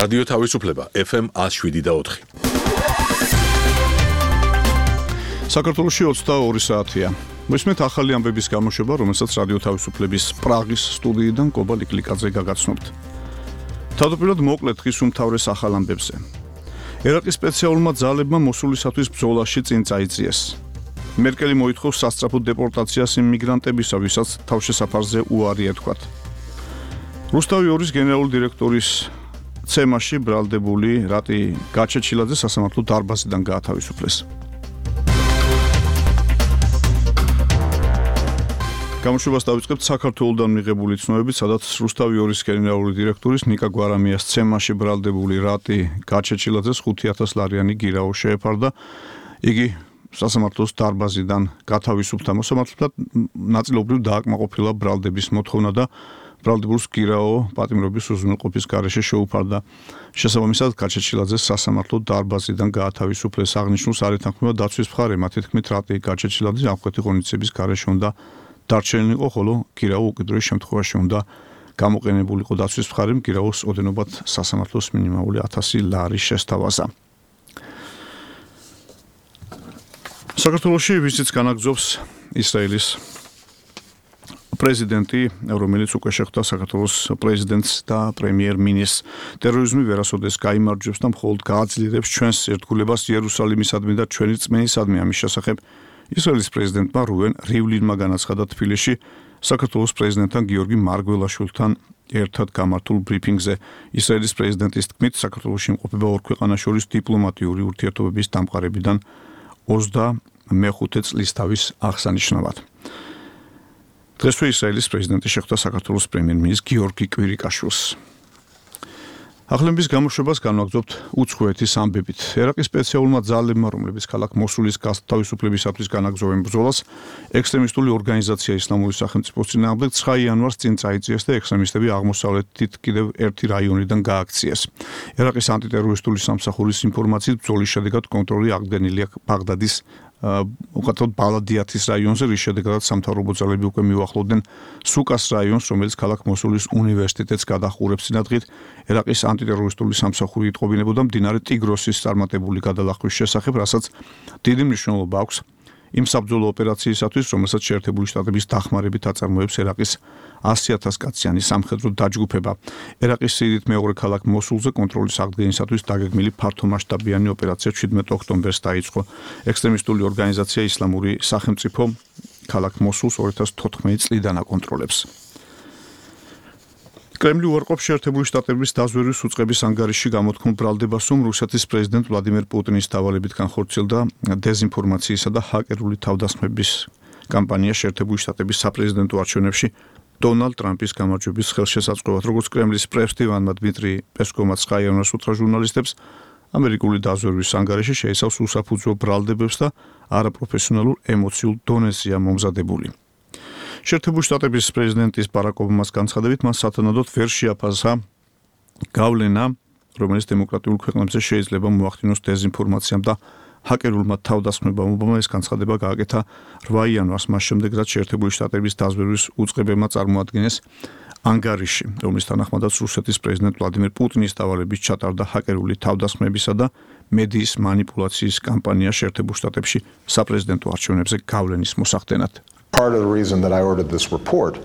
რადიო თავისუფლება FM 107.4. საქართველოში 22 საათია. მისმეთ ახალი ამბების გამოშვება, რომელსაც რადიო თავისუფლების პრაღის სტუდიიდან კობა ლიკლიკაძე გაგაცნობთ. თავდაპირველად მოკლედ ხის უმთავრეს ახალ ამბებზე. ერაყის სპეციალურმა ძალებმა მოსულისათვის ბრძოლაში წინ წაიწიეს. მერკელი მოითხოვს სასწრაფო დეპორტაციას იმ მიგრანტებისა, ვისაც თავშესაფარზე უარი ეთქვათ. რუსთავი 2-ის გენერალური დირექტორის ცემაში ბრალდებული რატი გაჩეჩილაძე სასამართლო დარბაზიდან გაათავისუფლეს. გამოშვებას დავიწყებთ საქართველოსდან მიღებული ცნობებით, სადაც რუსთავი 2-ის გენერალური დირექტორის ნიკა გვარამიას ცემაში ბრალდებული რატი გაჩეჩილაძეს 5,000 ლარიანი გირაო შეეფარდა. იგი სასამართლოს დარბაზიდან გათავისუფლდა. მოსამართლებლად ნაწილობრივ დააკმაყოფილა ბრალდების მოთხოვნა და ბრალდებულს გირაო პატიმრობის უზრუნველყოფის გარეშე შეუფარდა. შესაბამისად, გაჩეჩილაძეს სასამართლო დარბაზიდან გაათავისუფლეს. აღნიშნულს არ ეთანხმება დაცვის მხარე, მათი თქმით, რატი გაჩეჩილაძე ამხეთი ღონისძიების გარეშე უნდა დარჩენილიყო, ხოლო გირაო უკიდურეს შემთხვევაში უნდა გამოყენებულიყო. დაცვის მხარემ გირაოს ოდენობად სასამართლოს მინიმალური 1000 ლარი შესთავაზა. საქართველოში ვიზიტს განაგრძობს ისრაელის პრეზიდენტი, რომელიც უკვე შეხვდა საქართველოს პრეზიდენტს და პრემიერ-მინისტრს. ტერორიზმი ვერასოდეს გაიმარჯვებს და მხოლოდ გააძლიერებს ჩვენს ერთგულებას იერუსალიმისადმი და ჩვენი რწმენისადმი. ამის შესახებ ისრაელის პრეზიდენტმა რუვენ რივლინმა განაცხადა თბილისში საქართველოს პრეზიდენტთან გიორგი მარგველაშვილთან ერთად გამართულ ბრიფინგზე. ისრაელის პრეზიდენტის თქმით, საქართველოში იმყოფება ორ ქვეყანას შორის დიპლომატიური ურთიერთობების დამყარებიდან 25 წლის თავის აღსანიშნავად. დღესვე ისრაელის პრეზიდენტი შეხვდა საქართველოს პრემიერ-მინისტრ გიორგი კვირიკაშვილს. ახალების გამოშვებას განვაგრძობთ უცხოეთის ამბებით. ერაყის სპეციალურმა ძალებმა, რომლებიც ქალაქ მოსულის გათავისუფლებისათვის განაგრძობენ ბრძოლას, ექსტრემისტული ორგანიზაცია ისლამური სახელმწიფოს წინააღმდეგ 9 იანვარს წინ წაიწიეს და ექსტრემისტები აღმოსავლეთით კიდევ ერთი რაიონიდან გააქციეს. ერაყის ანტიტერორისტული სამსახურის ინფორმაციით ბრძოლის შედეგად კონტროლი აღდგენილია ბაღდადის უკეთოდ ბალადიათის რაიონზე, რის შედეგადაც სამთავრობო ძალები უკვე მიუახლოვდნენ სუკას რაიონს, რომელიც ქალაქ მოსულის უნივერსიტეტს გადაჰყურებს. წინადღით ერაყის ანტიტერორისტული სამსახური იტყობინებოდა მდინარე ტიგროსის წარმატებული გადალახვის შესახებ, რასაც დიდი მნიშვნელობა აქვს იმ საბრძოლო ოპერაციისათვის, რომელსაც შეერთებული შტატების დახმარებით აწარმოებს ერაყის 100,000 კაციანი სამხედრო დაჯგუფება. ერაყის სიდიდით მეორე ქალაქ მოსულზე კონტროლის აღდგენისათვის დაგეგმილი ფართომასშტაბიანი ოპერაცია 17 ოქტომბერს დაიწყო. ექსტრემისტული ორგანიზაცია ისლამური სახელმწიფო ქალაქ მოსულს 2014 წლიდან აკონტროლებს. კრემლი უარყოფს შეერთებული შტატების დაზვერვის უწყების ანგარიში გამოთქმულ ბრალდებას, რომ რუსეთის პრეზიდენტ ვლადიმერ პუტინის დავალებით განხორციელდა დეზინფორმაციისა და ჰაკერული თავდასხმების კამპანია შეერთებული შტატების საპრეზიდენტო არჩევნებში დონალდ ტრამპის გამარჯვების ხელშესაწყობად. როგორც კრემლის პრესტივანმა დმიტრი პესკოვმა 9 იანვარს უთხრა ჟურნალისტებს, ამერიკული დაზვერვის ანგარიში შეიცავს უსაფუძვო ბრალდებებს და არაპროფესიონალურ ემოციურ დონეზეა მომზადებული. შეერთებული შტატების პრეზიდენტის ბარაკ ობამას განცხადებით, მას სათანადოდ ვერ შეაფასა გავლენა, რომელიც დემოკრატიულ ქვეყნებზე შეიძლება მოახდინოს დეზინფორმაციამ და ჰაკერულმა თავდასხმებამ. ობამა ეს განცხადება გააკეთა 8 იანვარს, მას შემდეგ, რაც შეერთებული შტატების დაზვერვის უწყებებმა წარმოადგენეს ანგარიში, რომლის თანახმადაც რუსეთის პრეზიდენტ ვლადიმერ პუტინის დავალებით ჩატარდა ჰაკერული თავდასხმებისა და მედიის манипуляციის კამპანია შეერთებულ შტატებში საპრეზიდენტო არჩევნებზე გავლენის მოსახდენად. Part of the reason that I ordered this report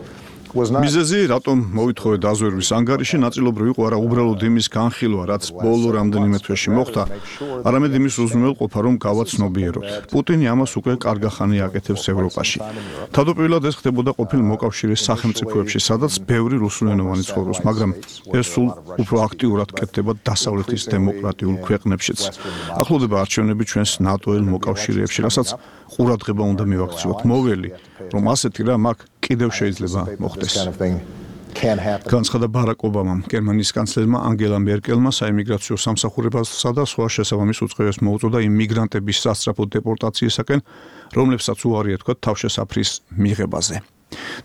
was not მიზეზი, რატომ მოითხოვე დაზვერვის ანგარიში, ნაწილობრივ იყო არა უბრალოდ იმის განხილვა, რაც ბოლო რამდენიმე თვეში მოხდა, არამედ იმის უზრუნველყოფა, რომ გავაცნობიეროთ. პუტინი ამას უკვე კარგახანი აკეთებს ევროპაში. თავდაპირველად ეს ხდებოდა ყოფილ მოკავშირის სახელმწიფოებში, სადაც ბევრი რუსულენოვანი ცხოვრობს, მაგრამ ეს სულ უფრო აქტიურად კეთდება დასავლეთის დემოკრატიულ ქვეყნებშიც. ახლოვდება არჩევნები ჩვენს ნატოელ მოკავშირეებში, რასაც ყურადღება უნდა მივაქციოთ. მოველი, რომ ასეთი რამ აქ კიდევ შეიძლება მოხდეს. განცხადა ბარაკ ობამამ, გერმანიის კანცლერმა ანგელა მერკელმა საიმიგრაციო სამსახურებასა და სხვა შესაბამის უწყებებს მოუწოდა იმ მიგრანტების სასწრაფო დეპორტაციისაკენ, რომლებსაც უარი ეთქვათ თავშესაფრის მიღებაზე.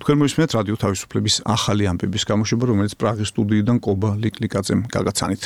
თქვენ მოისმენთ რადიო თავისუფლების ახალი ამბების გამოშვება, რომელიც პრაღის სტუდიიდან კობა ლიკლიკაძემ გაგაცანით.